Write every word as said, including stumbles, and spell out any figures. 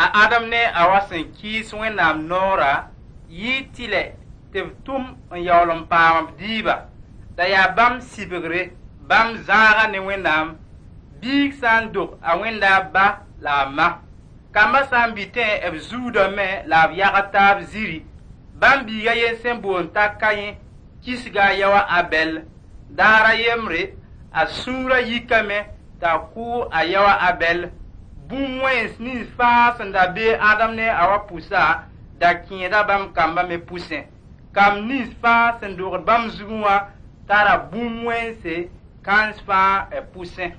A Adam ne a Awa sẽn kɩɩs Wẽnnaam noora yɩɩ tɩlɛ tɩ b tʋm n yaool n paam b dɩɩba. La yaa bãmb sibgre, bãmb zãaga ne Wẽnnaam. Biig sã n dog a wẽnda a ba la a ma. Kambã sã n bitẽ b zuudame la b yagd taab ziri. Bãmb biig a yen sẽn boond t'a Kayẽ kisga a yao a Abɛl. Daar a yembre, a sũurã yikame t'a kʋ a yao a Abɛl. Bũmb wẽns nins fãa sẽn da be Adam ne a Awa pʋsa da kẽeda bãmb kambã me pʋsẽ. Kamb nins fãa sẽn dogd bãmb zugẽ wã tara bũmb wẽnse kãens fãa b pʋsẽ.